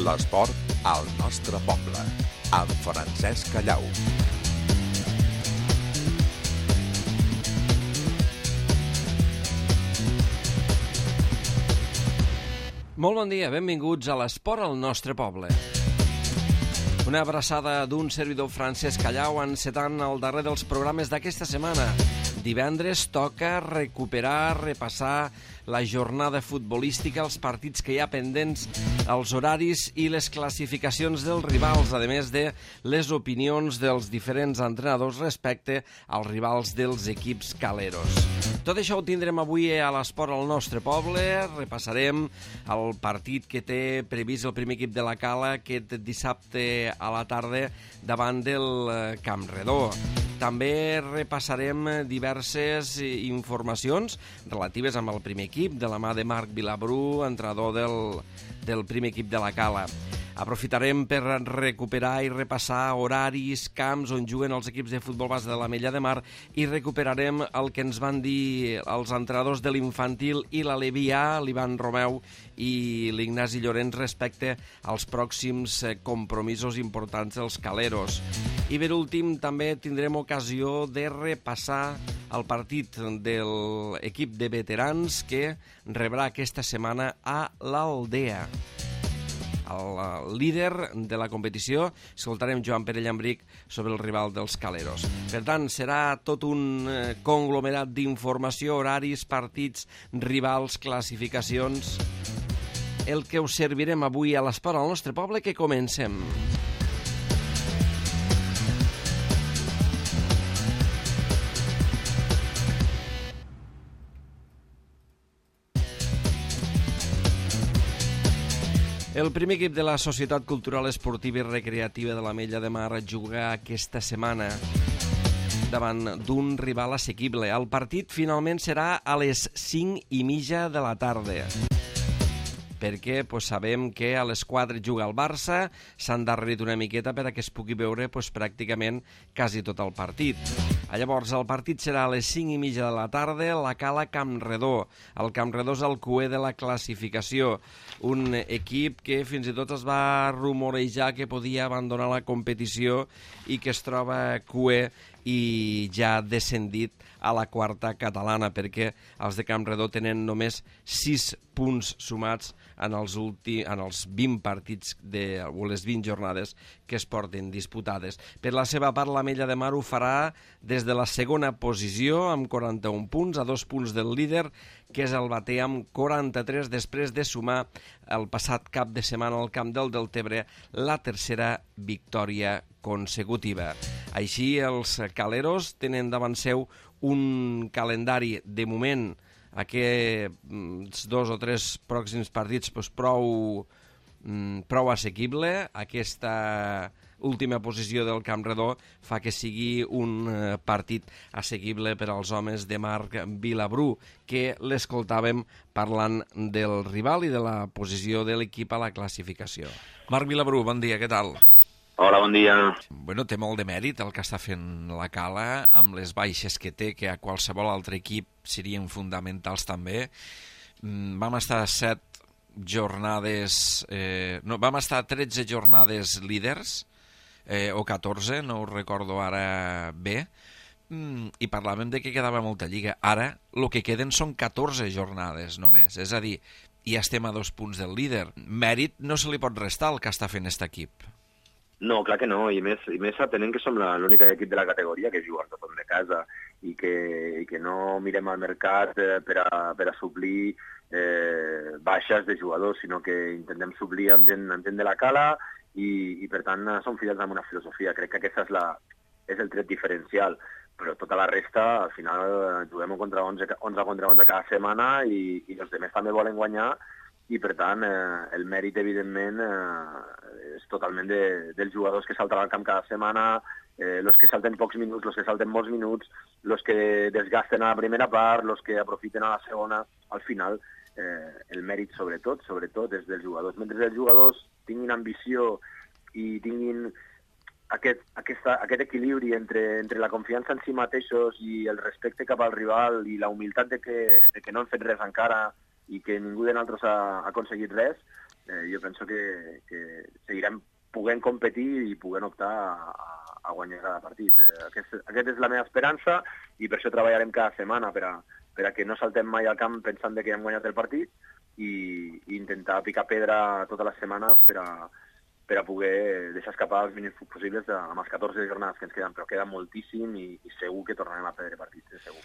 L'esport al nostre poble, amb Francesc Callau. Molt bon dia, benvinguts a l'esport al nostre poble. Una abraçada d'un servidor Francesc Callau encetant el darrer dels programes d'aquesta setmana. Divendres toca recuperar, repassar la jornada futbolística, els partits que hi ha pendents, els horaris i les classificacions dels rivals, a més de les opinions dels diferents entrenadors respecte als rivals dels equips caleros. Tot això ho tindrem avui a l'esport al nostre poble. Repassarem el partit que té previst el primer equip de la Cala aquest dissabte a la tarda davant del Camp Redó. També repassarem diverses informacions relatives amb el primer equip, de la mà de Marc Vilabru, entrenador del primer equip de la Cala. Aprofitarem per recuperar i repassar horaris, camps on juguen els equips de futbol base de l'Ametlla de Mar i recuperarem el que ens van dir els entrenadors de l'infantil i la Levià, l'Ivan Romeu i l'Ignasi Llorenç respecte als pròxims compromisos importants dels caleros. I per últim també tindrem ocasió de repassar el partit de l'equip de veterans que rebrà aquesta setmana a l'Aldea. El líder de la competició, escoltarem Joan Pere Llambric sobre el rival dels caleros. Per tant, serà tot un conglomerat d'informació, horaris, partits, rivals, classificacions, el que us servirem avui a l'esport al nostre poble, que comencem. El primer equip de la Societat Cultural Esportiva i Recreativa de l'Ametlla de Mar juga aquesta setmana davant d'un rival assequible. El partit finalment serà a les 5:30 de la tarda, perquè sabem que a les 4 juga el Barça, s'han darrerit una miqueta per a que es pugui veure pràcticament quasi tot el partit. Llavors, el partit serà a les 5:30 de la tarda, la Cala Camp Redó. El Camp Redó és el cuer de la classificació, un equip que fins i tot es va rumorejar que podia abandonar la competició i que es troba cuer i ja ha descendit a la quarta catalana, perquè els de Camp Redó tenen només 6 punts sumats en els 20 partits o les 20 jornades que es porten disputades. Per la seva part, l'Ametlla de Mar ho farà des de la segona posició amb 41 punts, a 2 punts del líder, que és el Batea, amb 43, després de sumar el passat cap de setmana al Camp del Deltebre la tercera victòria consecutiva. Així, els caleros tenen davant seu un calendari, de moment, aquests 2 o 3 pròxims partits prou assequible. Aquesta última posició del Camp Redó fa que sigui un partit assequible per als homes de Marc Vilabru, que l'escoltàvem parlant del rival i de la posició de l'equip a la classificació. Marc Vilabru, bon dia, què tal? Hola, bon dia. Bueno, té molt de mèrit el que està fent la Cala, amb les baixes que té, que a qualsevol altre equip serien fonamentals també. Vam estar 13 jornades líders, o 14, no ho recordo ara bé, i parlàvem de que quedava molta lliga. Ara, el que queden són 14 jornades només, és a dir, ja estem a 2 punts del líder. Mèrit no se li pot restar el que està fent aquest equip. No, clar que no, i més atenent que som l'únic equip de la categoria que juga al torn de casa i que no mirem al mercat per a suplir baixes de jugadors, sinó que intentem suplir amb gent de la Cala i per tant som fidels amb una filosofia. Crec que aquesta és el tret diferencial, però tota la resta, al final, juguem contra 11 contra 11 cada setmana i els altres també volen guanyar, i per tant el mèrit evidentment és totalment dels jugadors que salten al camp cada setmana, els que salten pocs minuts, els que salten molts minuts, els que desgasten a la primera part, els que aprofiten a la segona. Al final el mèrit sobretot és dels jugadors. Mentre els jugadors tinguin ambició i tinguin aquest equilibri entre la confiança en si mateixos i el respecte cap al rival i la humilitat de que no han fet res encara i que ningú de nosaltres ha aconseguit res, jo penso que seguirem podent competir i podent optar a guanyar cada partit. Aquesta és la meva esperança i per això treballarem cada setmana per a que no saltem mai al camp pensant que hem guanyat el partit i intentar picar pedra totes les setmanes per a poder deixar escapar els mínims possibles amb els 14 jornades que ens queden, però queda moltíssim i segur que tornarem a perdre partits, segur.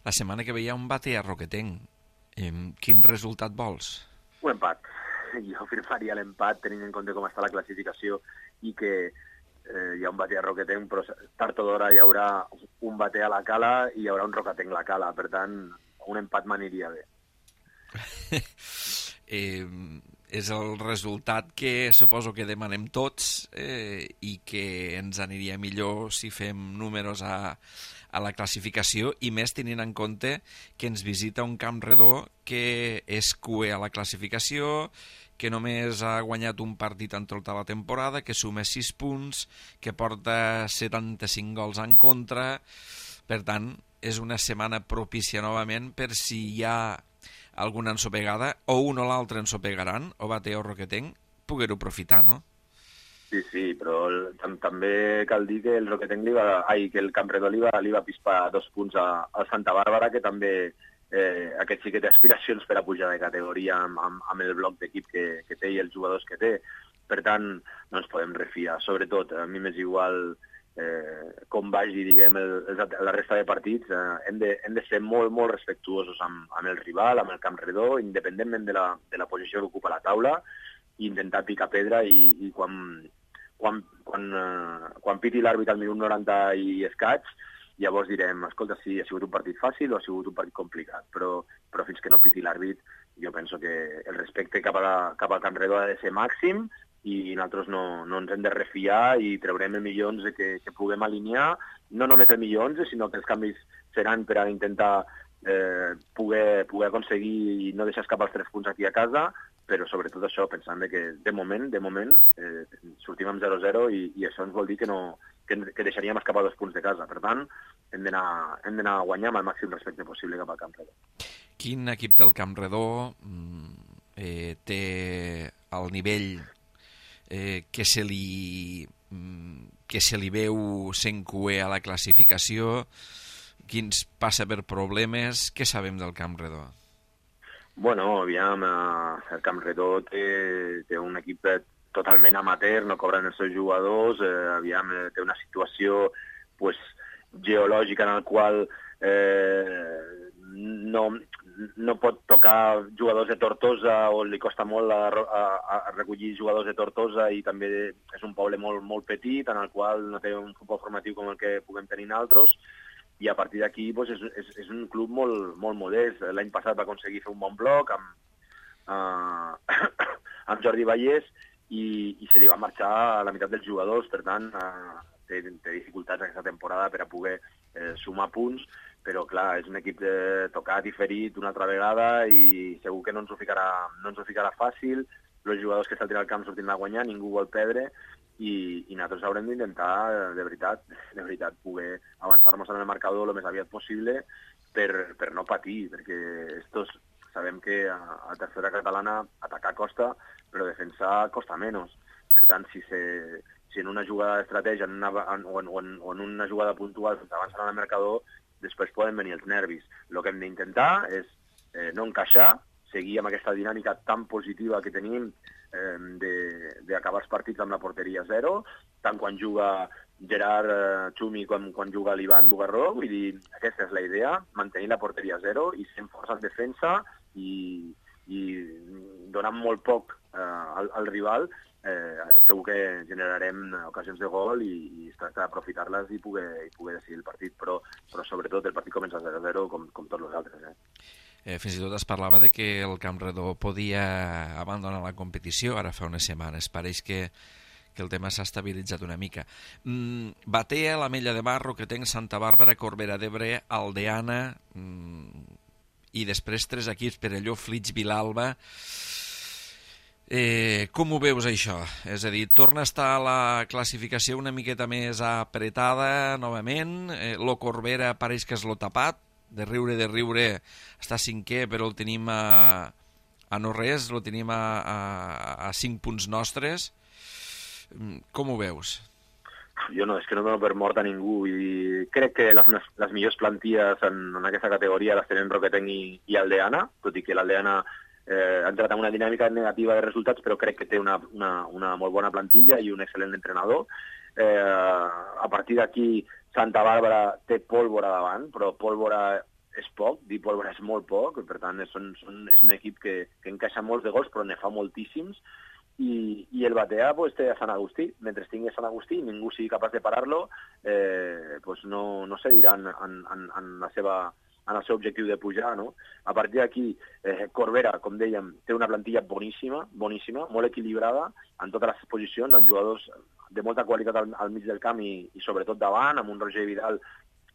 La setmana que ve hi ha un bate a Roquetenc. Quin resultat vols? Un empat. Jo firmaria l'empat tenint en compte com està la classificació i que hi ha un bate a Roquetenc, però tard o d'hora hi haurà un bate a la Cala i hi haurà un Roquetenc a la Cala. Per tant, un empat m'aniria bé. És el resultat que suposo que demanem tots i que ens aniria millor si fem números a la classificació i més tenint en compte que ens visita un Campredó que és cué a la classificació, que només ha guanyat un partit en tota la temporada, que suma 6 punts, que porta 75 gols en contra. Per tant, és una setmana propícia novament per si hi ha alguna ensopegada, o un o l'altre ensopegaran, o bate o Roquetenc, poder-ho aprofitar, no? Sí, però també cal dir que el Roquetenc que el Campredó li va pispar 2 punts al Santa Bàrbara, que també aquest sí que té aspiracions per a pujar de categoria amb el bloc d'equip que té i els jugadors que té. Per tant, no ens podem refiar. Sobretot, a mi m'és igual com vagi, diguem, la resta de partits. Hem de ser molt, molt respectuosos amb el rival, amb el Campredó, independentment de la posició que ocupa la taula, i intentar picar pedra i quan piti l'àrbitre al minut 90 i escaig, llavors direm, escolta, sí, ha sigut un partit fàcil o ha sigut un partit complicat, però fins que no piti l'àrbit, jo penso que el respecte cap al Campredó ha de ser màxim i nosaltres no ens hem de refiar i traurem el millor 11 que puguem alinear, no només el millor 11, sinó que els canvis seran per a intentar poder aconseguir i no deixar escapar els 3 punts aquí a casa, però sobretot això, pensant que de moment sortim amb 0-0 i això ens vol dir que deixaríem escapar 2 punts de casa. Per tant, hem d'anar a guanyar amb el màxim respecte possible cap al Campredó. Quin equip del Campredó té el nivell que se li veu sent cué a la classificació? Quins passa per problemes? Què sabem del Campredó? Bueno, aviam, el Campredó té un equip totalment amateur, no cobren els seus jugadors, aviam, té una situació geològica en la qual no pot tocar jugadors de Tortosa o li costa molt a recollir jugadors de Tortosa i també és un poble molt, molt petit en el qual no té un futbol formatiu com el que puguem tenir nosaltres. I a partir d'aquí és un club molt, molt modest. L'any passat va aconseguir fer un bon bloc amb Jordi Vallès i se li va marxar la meitat dels jugadors. Per tant, té dificultats aquesta temporada per a poder sumar punts, però clar, és un equip tocat i ferit una altra vegada i segur que no ens ho ficarà fàcil. Els jugadors que saltin al camp sortint a guanyar, ningú vol perdre, i nosaltres haurem d'intentar, de veritat, poder avançar-nos en el marcador el més aviat possible per no patir, perquè sabem que a tercera catalana atacar costa, però defensar costa menys. Per tant, si en una jugada d'estratègia o en una jugada puntual s'avancen en el marcador, després poden venir els nervis. El que hem d'intentar és no encaixar, seguir amb aquesta dinàmica tan positiva que tenim d'acabar els partits amb la porteria 0, tant quan juga Gerard Xumi com quan juga l'Ivan Bugarró. Vull dir, aquesta és la idea, mantenir la porteria 0 i ser força en defensa i donant molt poc al rival, segur que generarem ocasions de gol i es tracta d'aprofitar-les i poder decidir el partit, però sobretot el partit comença 0-0 com tots els altres. Fins i tot es parlava de que el Campredó podia abandonar la competició ara fa unes setmanes. Pareix que el tema s'ha estabilitzat una mica. Batea, l'Ametlla de Mar, Roquetenc, Santa Bàrbara, Corbera d'Ebre, Aldeana i després 3 equips, Perelló, Flix, Vilalba. Com ho veus això? És a dir, torna a estar la classificació una miqueta més apretada novament, lo Corbera pareix que és lo tapat, de riure està 5è, però el tenim a a no res, lo tenim a 5 punts nostres. Com ho veus? Jo no, és que no dono per mort a ningú i crec que les millors plantilles en aquesta categoria les tenen Roquetenc i Aldeana, tot i que l'Aldeana ha entrat en una dinàmica negativa de resultats, però crec que té una molt bona plantilla i un excel·lent entrenador. A partir d'aquí, Santa Bàrbara té pólvora davant, però pólvora és poc, dir pólvora és molt poc, per tant és un equip que encaixa molts de gols, però ne fa moltíssims, i el Batea pues, té a Sant Agustí. Mentre tingui a Sant Agustí i ningú sigui capaç de parar-lo, pues no cediran en el seu objectiu de pujar, no? A partir d'aquí, Corbera, com dèiem, té una plantilla boníssima, molt equilibrada en totes les posicions, amb jugadors de molta qualitat al mig del camp i sobretot davant, amb un Roger Vidal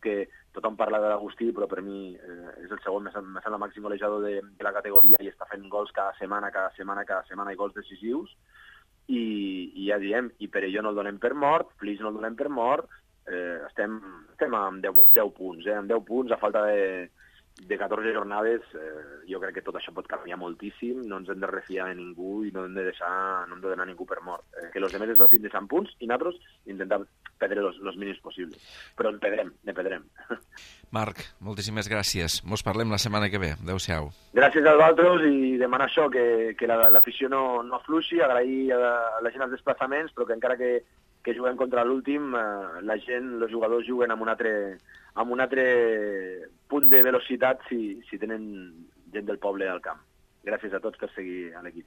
que tothom parla de l'Agustí, però per mi és el segon més el màxim golejador de la categoria i està fent gols cada setmana i gols decisius. I ja diem, i Perelló no el donem per mort, Flix no el donem per mort, estem amb 10 punts, amb 10 punts a falta de 14 jornades. Jo crec que tot això pot canviar moltíssim, no ens hem de refiar de ningú i no hem de donar ningú per mort. Que els altres es vagin deixant punts i nosaltres intentar perdre els mínims possibles. Però en perdrem. Marc, moltíssimes gràcies. Mos parlem la setmana que ve. Adéu-siau. Gràcies a vosaltres i demanar això, que l'afició no afluixi, agrair a la gent els desplaçaments, però que encara que juguem contra l'últim, la gent, els jugadors juguen amb un altre punt de velocitat si tenen gent del poble al camp. Gràcies a tots per seguir a l'equip.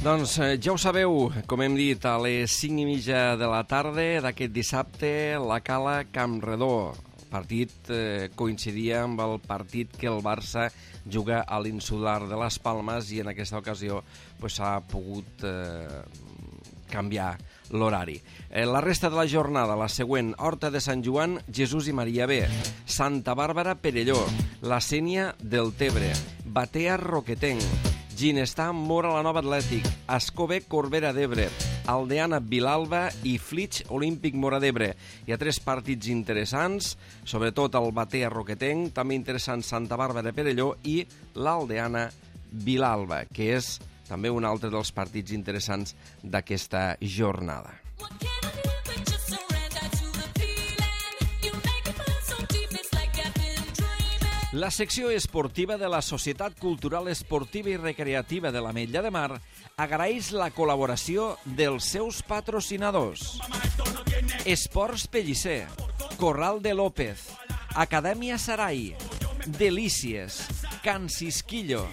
Doncs ja ho sabeu, com hem dit, a les 5:30 de la tarda d'aquest dissabte, la Cala Campredó. El partit coincidia amb el partit que el Barça juga a l'Insular de les Palmes i en aquesta ocasió s'ha pogut canviar l'horari. La resta de la jornada, la següent: Horta de Sant Joan, Jesús i Maria B, Santa Bàrbara, Perelló, la Sénia, Deltebre, Batea, Roquetenc, Ginestar, Mora, la Nova Atlètic, Ascó B, Corbera d'Ebre, Aldeana, Vilalba i Flix, Olímpic, Mora d'Ebre. Hi ha 3 partits interessants, sobretot el Batea, Roquetenc, també interessant Santa Bàrbara, Perelló i l'Aldeana, Vilalba, que és també un altre dels partits interessants d'aquesta jornada. La secció esportiva de la Societat Cultural Esportiva i Recreativa de l'Ametlla de Mar agraeix la col·laboració dels seus patrocinadors. Esports Pellicer, Corral de López, Acadèmia Sarai, Delícies, Can Cisquillo,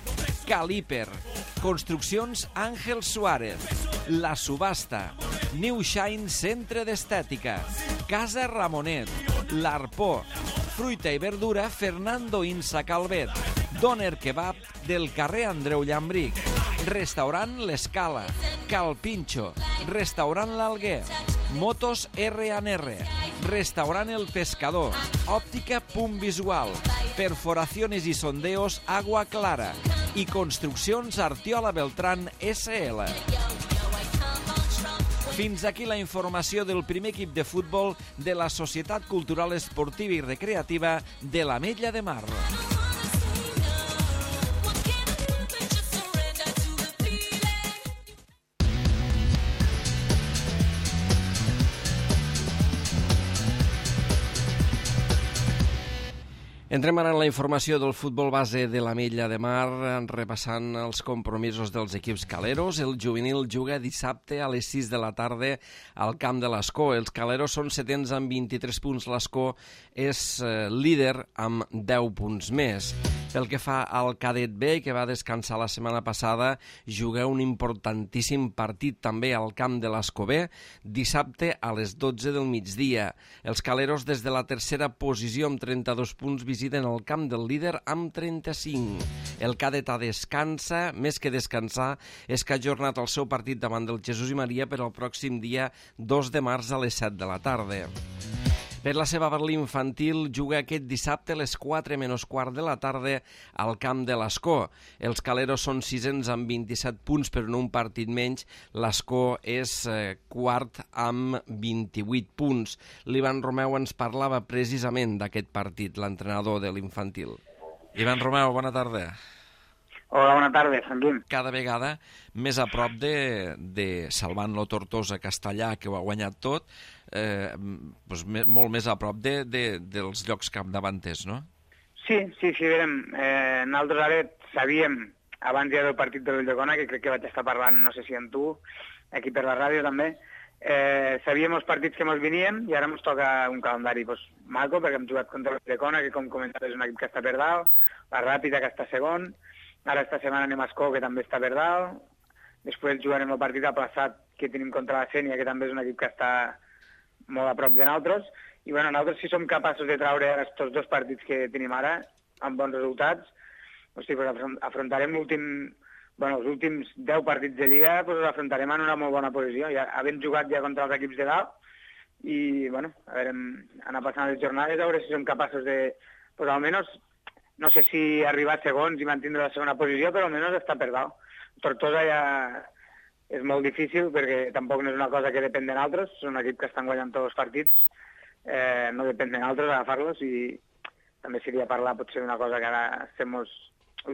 Caliper, Construccions Àngel Suárez, La Subhasta, New Shine Centre d'Estètica, Casa Ramonet, L'Arpó, Fruita i verdura Fernando Insa Calvet, Doner Kebab del carrer Andreu Llambric, Restaurant L'Escala, Cal Pincho, Restaurant L'Alguer, Motos R&R, Restaurant El Pescador, Òptica Punt Visual, Perforaciones y Sondeos Agua Clara i Construccions Artiola Beltrán SL. Fins aquí la informació del primer equip de futbol de la Societat Cultural Esportiva i Recreativa de l'Ametlla de Mar. Entrem ara en la informació del futbol base de l'Ametlla de Mar, repassant els compromisos dels equips caleros. El juvenil juga dissabte a les 6 de la tarda al camp de l'Escó. Els caleros són setens amb 23 punts. L'Escó és líder amb 10 punts més. Pel que fa al cadet B, que va descansar la setmana passada, juga un importantíssim partit també al camp de l'Escó B, dissabte a les 12 del migdia. Els caleros des de la tercera posició amb 32 punts visiten el camp del líder amb 35. El cadet A descansa, més que descansar, és que ha ajornat el seu partit davant del Jesús i Maria per al pròxim dia 2 de març a les 7 de la tarda. Per la seva Berlí infantil juga aquest dissabte a les 4 menys quart de la tarda al camp de l'Escó. Els caleros són sisens amb 27 punts, però en un partit menys. L'Escó és quart amb 28 punts. L'Ivan Romeu ens parlava precisament d'aquest partit, l'entrenador de l'infantil. Ivan Romeu, bona tarda. Hola, bona tarda, Sanguim. Cada vegada més a prop de salvant-lo Tortosa Castellà, que ho ha guanyat tot, doncs molt més a prop dels llocs capdavanters, no? Sí, veurem. Nosaltres ara sabíem, abans ja del partit de l'Ulldecona, que crec que vaig estar parlant, no sé si amb tu, aquí per la ràdio també, sabíem els partits que ens venien i ara ens toca un calendari maco, perquè hem jugat contra l'Ulldecona, que com comentat és un equip que està per dalt, la Ràpita, que està segon. Ara esta setmana anem a Escó, que també està per dalt. Després jugarem el partit aplaçat que tenim contra la Sénia, que també és un equip que està molt a prop de nosaltres. I bueno, nosaltres si som capaços de traure aquests dos partits que tenim ara, amb bons resultats, afrontarem els últims 10 partits de Lliga, els afrontarem en una molt bona posició. Ja, havent jugat ja contra els equips de dalt, i bueno, a veure, anar passant les jornades, a veure si som capaços de, almenys, no sé si arribar a segons i mantindre la segona posició, però almenys està per dalt. Tortosa ja és molt difícil perquè tampoc no és una cosa que depèn de nosaltres, és un equip que estan guanyant tots els partits, no depèn de nosaltres agafar-los i també seria parlar potser d'una cosa que ara ho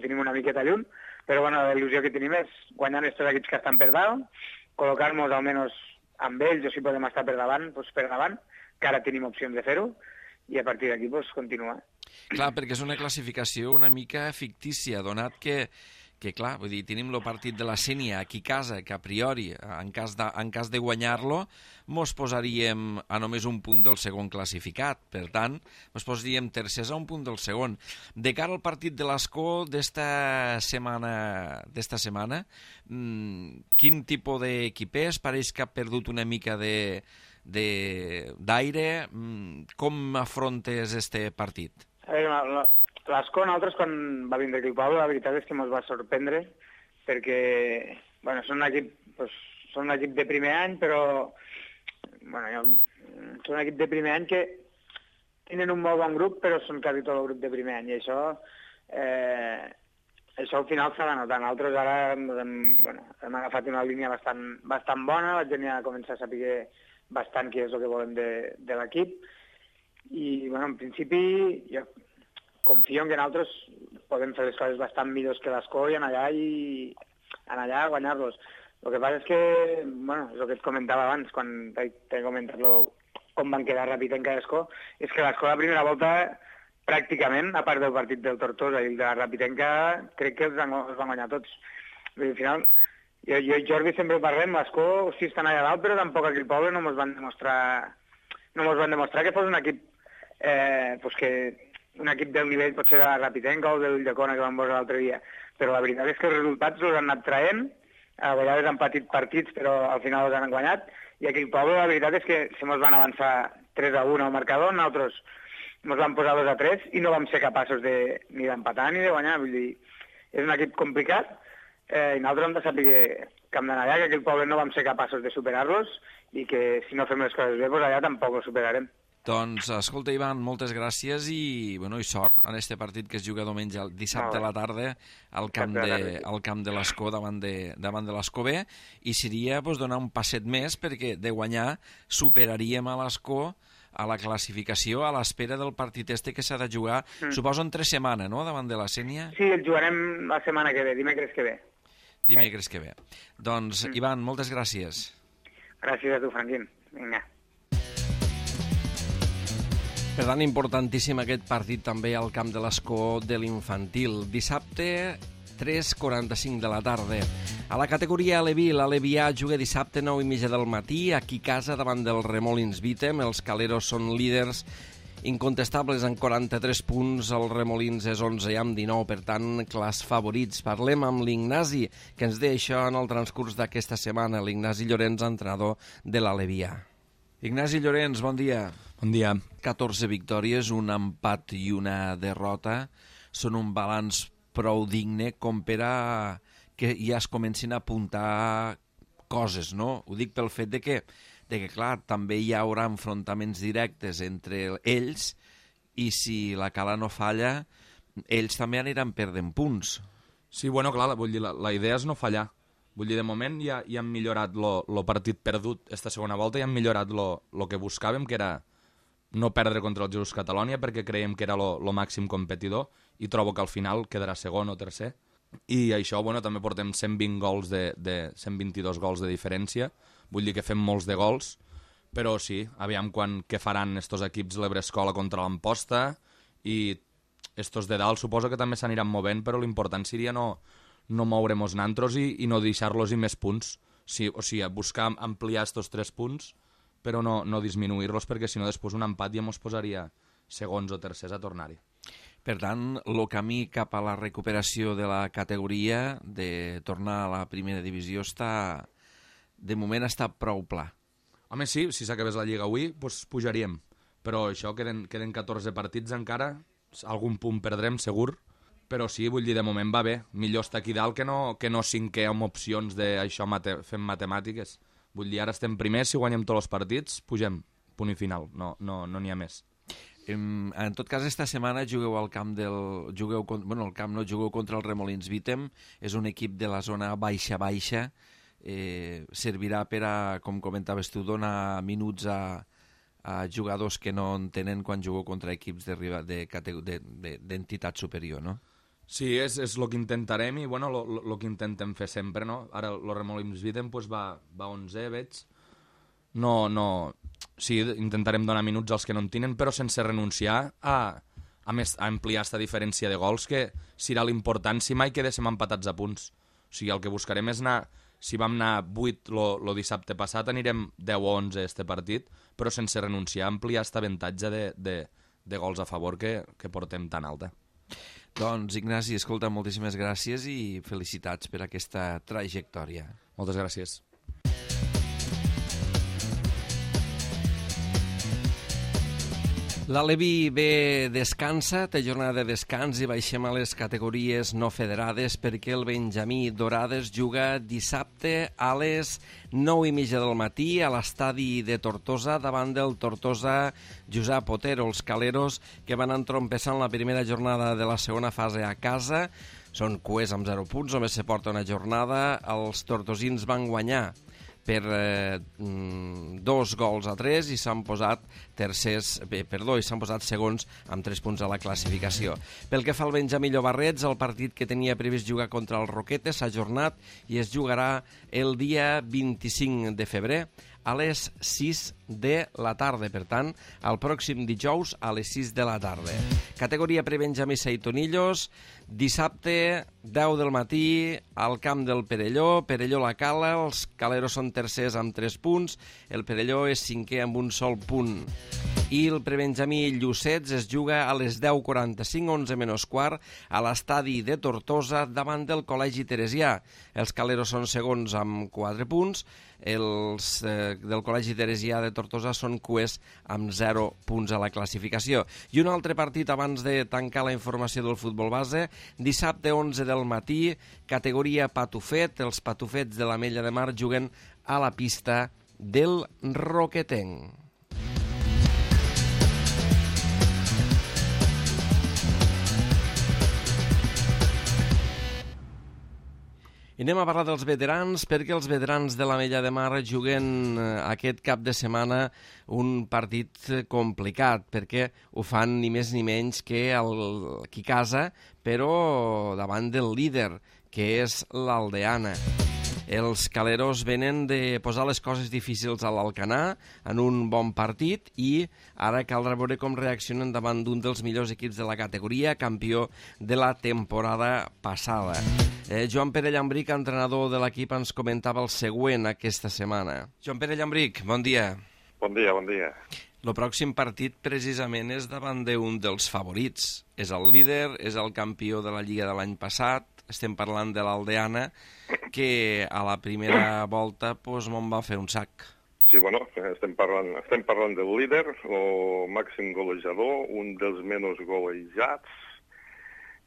tenim una miqueta lluny, però bueno, la il·lusió que tenim és guanyar aquests equips que estan per dalt, col·locar-nos almenys amb ells o si podem estar per davant, que ara tenim opcions de fer-ho, i a partir d'aquí continuar. Clar, perquè és una classificació una mica fictícia, donat que clar, vull dir, tenim el partit de la Sénia aquí a casa, que a priori, en cas de guanyar-lo, mos posaríem a només un punt del segon classificat. Per tant, mos posaríem tercers a un punt del segon. De cara al partit de l'Escó d'esta setmana, quin tipus d'equip és? Pareix que ha perdut una mica d'aire. Com afrontes este partit? A veure, l'Escó, nosaltres, quan va vindre aquí al poble, la veritat és que ens va sorprendre, perquè, bueno, són un equip de primer any, però, bueno, són un equip de primer any que tenen un molt bon grup, però són quasi tot el grup de primer any, i això al final s'ha de notar. Nosaltres ara hem agafat una línia bastant bona, la gent ja comença a saber bastant què és el que volem de l'equip, i, bueno, en principi, jo confio en que nosaltres podem fer les coses bastant millors que l'Escó i anar allà a guanyar-los. El que passa és que, bueno, és el que et comentava abans, quan t'he comentat com van quedar Ràpitenca i Escó, és que l'Escó la primera volta, pràcticament, a part del partit del Tortosa i el de la Ràpitenca, crec que els van guanyar tots. Al final, jo i Jordi sempre parlem, l'Escó sí estan allà dalt, però tampoc aquí al poble no ens van demostrar que fos un equip un equip del nivell potser de la Ràpitenca o de l'Ulldecona que vam veure l'altre dia, però la veritat és que els resultats els han anat traient, a vegades han patit partits però al final els han guanyat, i aquí al poble la veritat és que se mos van avançar 3-1 al marcador, nosaltres ens vam posar 2-3 i no vam ser capaços ni d'empatar ni de guanyar, vull dir, és un equip complicat i nosaltres hem de saber que hem d'anar allà, que aquí al poble no vam ser capaços de superar-los i que si no fem les coses bé, doncs allà tampoc ho superarem. Doncs, escolta, Ivan, moltes gràcies i sort en este partit que es juga dissabte a la tarda al camp de l'Escó davant de l'Escó B, i seria donar un passet més perquè de guanyar superaríem a l'Escó a la classificació a l'espera del partit que s'ha de jugar, suposo en 3 setmanes, no?, davant de la Sénia? Sí, el jugarem la setmana que ve, dimecres que ve. Dimecres que ve. Doncs, Ivan, moltes gràcies. Gràcies a tu, Franquín. Vinga. Per tant, importantíssim aquest partit també al camp de l'Escó de l'infantil. Dissabte, 3:45 de la tarda. A la categoria Aleví, l'Alevià juga dissabte 9:30 del matí, aquí a casa davant del Remolins Vítem. Els caleros són líders incontestables en 43 punts, el Remolins és 11 amb 19, per tant, clars favorits. Parlem amb l'Ignasi, que ens deia això en el transcurs d'aquesta setmana, l'Ignasi Llorenç, entrenador de l'Alevià. Ignasi Llorenç, bon dia. Bon dia. 14 victòries, un empat i una derrota. Són un balanç prou digne com per a que ja es comencin a apuntar coses, no? Ho dic pel fet de que de que, clar, també hi haurà enfrontaments directes entre ells i si la Cala no falla, ells també aniran perdent punts. Sí, bueno, clar, vull dir, la idea és no fallar. Vull dir, de moment ja han millorat lo partit perdut esta segona volta, i han millorat lo que buscàvem, que era no perdre contra el Jesús Catalonia, perquè creiem que era lo màxim competidor, i trobo que al final quedarà segon o tercer. I això, bueno, també portem 120 gols 122 gols de diferència, vull dir que fem molts de gols, però sí, aviam què faran estos equips l'Ebrescola contra l'Amposta, i estos de dalt suposo que també s'aniran movent, però l'important seria no moure-nos nantros i no deixar-los i més punts. O sigui, buscar ampliar estos 3 punts, però no disminuir-los, perquè si no després un empat ja ens posaria segons o tercers a tornar-hi. Per tant, el camí cap a la recuperació de la categoria, de tornar a la primera divisió, de moment està prou pla. Home, sí, si s'acabés la Lliga avui, doncs pujaríem. Però això, queden 14 partits encara, algun punt perdrem, segur, però sí, vull dir, de moment va bé. Millor estar aquí dalt que no cinquè amb opcions d'això fem matemàtiques. Vull dir, ara estem primers, si guanyem tots els partits, pugem, punt i final, no n'hi ha més. En tot cas, esta setmana jugueu al camp jugueu contra el Remolins Vítem, és un equip de la zona baixa-baixa, servirà per a, com comentaves tu, donar minuts a jugadors que no en tenen quan jugueu contra equips d'entitat superior, no? Sí, és el que intentarem i bueno, el que intentem fer sempre, no? Ara el Remolins Vítem va 11, veig. Sí, intentarem donar minuts als que no en tenen, però sense renunciar a ampliar aquesta diferència de gols, que serà l'important si mai quedéssim empatats a punts. O sigui, el que buscarem és anar, si vam anar 8 el dissabte passat, anirem 10 o 11 este partit, però sense renunciar a ampliar aquest avantatge de gols a favor que portem tan alta. Doncs, Ignasi, escolta, moltíssimes gràcies i felicitats per aquesta trajectòria. Moltes gràcies. L'Alevi B descansa, té jornada de descans i baixem a les categories no federades perquè el Benjamí Dorades juga dissabte a les 9:30 del matí a l'estadi de Tortosa davant del Tortosa Josep Otero, els caleros que van entrompessant la primera jornada de la segona fase a casa. Són cuers amb 0 punts, només se porta una jornada. Els tortosins van guanyar per 2-3 i s'han posat segons amb 3 punts a la classificació. Pel que fa al Benjamí Llobarrets, el partit que tenia previst jugar contra el Roquetes s'ha ajornat i es jugarà el dia 25 de febrer a les 6 de la tarda. Per tant, el pròxim dijous a les 6 de la tarda. Categoria prebenjamí Seitonillos, dissabte 10 del matí al camp del Perelló, Perelló-La Cala, els caleros són tercers amb 3 punts, el Perelló és cinquè amb un sol punt. I el prebenjamí Llucets es juga a les 10:45, 11:15, a l'estadi de Tortosa davant del Col·legi Teresià. Els caleros són segons amb 4 punts, els del Col·legi Teresià de Tortosa són cuers amb 0 punts a la classificació. I un altre partit abans de tancar la informació del futbol base, dissabte 11 del matí, categoria Patufet, els Patufets de l'Ametlla de Mar juguen a la pista del Roquetenc. I anem a parlar dels veterans, perquè els veterans de l'Ametlla de Mar juguen aquest cap de setmana un partit complicat, perquè ho fan ni més ni menys que qui casa, però davant del líder, que és l'Aldeana. Els caleros venen de posar les coses difícils a l'Alcanar en un bon partit i ara caldrà veure com reaccionen davant d'un dels millors equips de la categoria, campió de la temporada passada. Joan Pere Llambric, entrenador de l'equip, ens comentava el següent aquesta setmana. Joan Pere Llambric, bon dia. Bon dia, bon dia. El pròxim partit precisament és davant d'un dels favorits. És el líder, és el campió de la Lliga de l'any passat. Estem parlant de l'Aldeana, que a la primera volta me'n va fer un sac. Sí, bueno, estem parlant del líder, el màxim golejador, un dels menys golejats,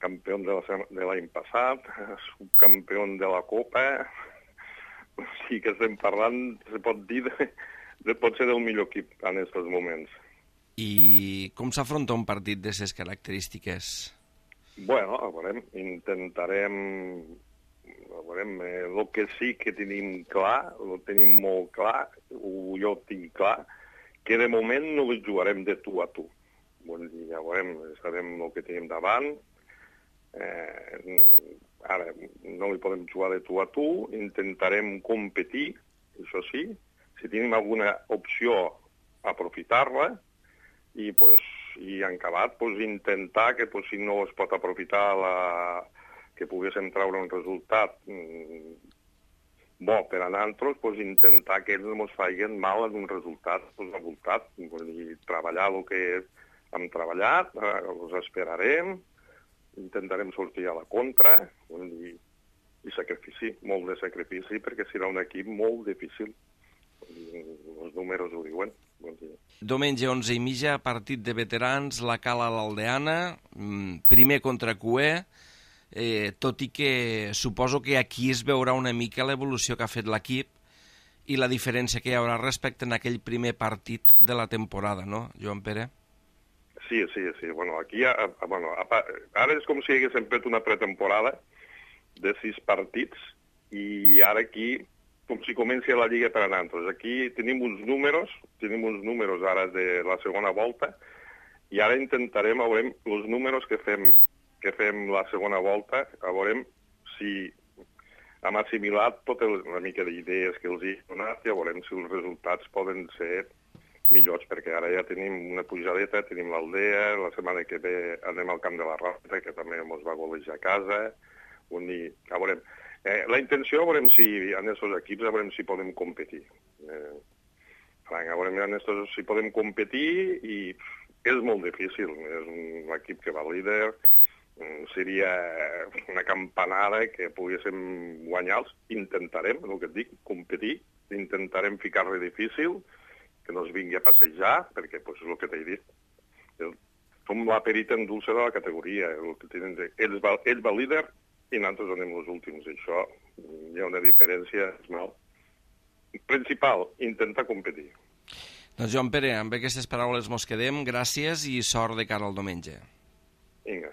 campió de l'any passat, subcampió de la Copa. O sigui que estem parlant, se pot dir, pot ser el millor equip en aquests moments. I com s'afronta un partit d'aquestes característiques? Bueno, a veure, intentarem... A veure, el que sí que tenim clar, ho tenim molt clar, jo tinc clar, que de moment no ho jugarem de tu a tu. Vull dir, ja veurem, sabem el que tenim davant. Ara, no li podem jugar de tu a tu, intentarem competir, això sí, si tenim alguna opció, aprofitar-la, i en acabat intentar que si no es pot aprofitar que poguéssim treure un resultat bo per a nosaltres, intentar que ells no ens facin mal en un resultat avoltat. Vull dir, treballar el que hem treballat, els esperarem, intentarem sortir a la contra, i sacrifici, molt de sacrifici, perquè serà un equip molt difícil. Els números ho diuen. Diumenge 11:30, partit de veterans, la Cala a l'Aldeana, primer contra Cué, tot i que suposo que aquí es veurà una mica l'evolució que ha fet l'equip i la diferència que hi haurà respecte a aquell primer partit de la temporada, no, Joan Pere? Sí. Bueno, aquí, ara és com si haguéssim fet una pretemporada de 6 partits i ara aquí com si comenci la Lliga per a nosaltres. Aquí tenim uns números ara de la segona volta i ara intentarem, veurem, els números que fem la segona volta, veurem si hem assimilat tota una mica d'idees que els he donat i veurem si els resultats poden ser millors, perquè ara ja tenim una pujadeta, tenim l'Aldea, la setmana que ve anem al Camp de la Ràpita, que també ens va golejar a casa, veurem. La intenció, veurem si en aquests equips veurem si podem competir. Veurem si podem competir i és molt difícil. És un equip que va líder, seria una campanada que poguéssim guanyar-los. Intentarem, el que et dic, competir, intentarem ficar-li difícil, que no es vingui a passejar, perquè és el que t'he dit. Som la perita en dulce de la categoria. Ells va líder i nosaltres anem els últims. Això hi ha una diferència principal, intentar competir. Doncs Joan Pere, amb aquestes paraules mos quedem. Gràcies i sort de cara al diumenge. Vinga.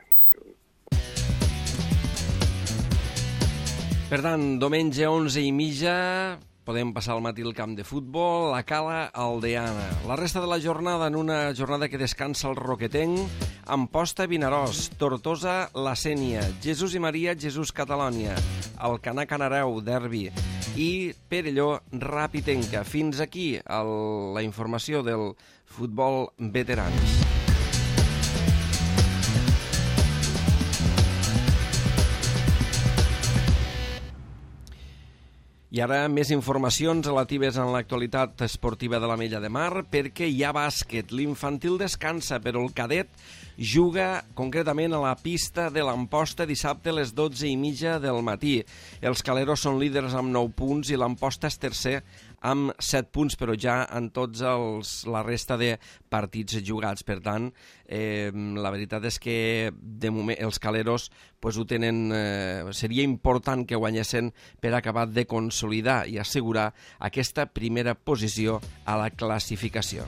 Per tant, diumenge 11:30 podem passar al matí al camp de futbol, la Cala Aldeana. La resta de la jornada en una jornada que descansa el Roquetenc, Amposta Vinaròs, Tortosa La Sénia, Jesús i Maria Jesús Catalònia, Alcanar Canareu, derbi, i Perelló Rapitenca. Fins aquí la informació del futbol veterans. I ara més informacions relatives en l'actualitat esportiva de l'Ametlla de Mar, perquè hi ha bàsquet. L'infantil descansa, però el cadet juga concretament a la pista de l'Amposta dissabte a les 12:30 del matí. Els caleros són líders amb 9 punts i l'Amposta és tercer amb 7 punts, però ja en tots la resta de partits jugats. Per tant, la veritat és que de moment els caleros ho tenen, seria important que guanyessin per acabar de consolidar i assegurar aquesta primera posició a la classificació.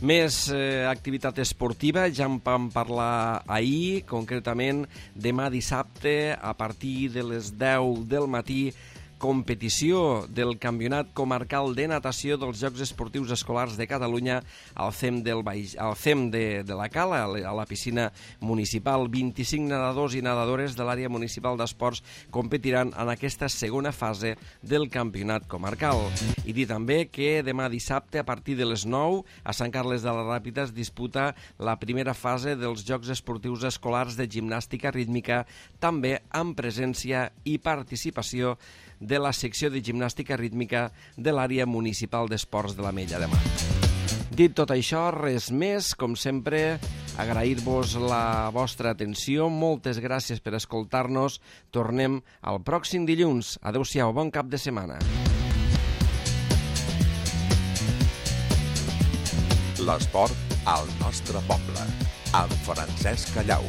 Més activitat esportiva, ja en vam parlar ahir, concretament demà dissabte a partir de les 10 del matí, competició del Campionat Comarcal de Natació dels Jocs Esportius Escolars de Catalunya al CEM de la Cala, a la piscina municipal. 25 nedadors i nedadores de l'àrea municipal d'esports competiran en aquesta segona fase del Campionat Comarcal. I dir també que demà dissabte, a partir de les 9, a Sant Carles de la Ràpita es disputa la primera fase dels Jocs Esportius Escolars de Gimnàstica Rítmica, també amb presència i participació de la secció de gimnàstica rítmica de l'àrea municipal d'esports de l'Ametlla de Mar. Dit tot això, res més, com sempre, agrair-vos la vostra atenció, moltes gràcies per escoltar-nos, tornem al pròxim dilluns. Adéu-siau, bon cap de setmana. L'esport al nostre poble, amb Francesc Callau.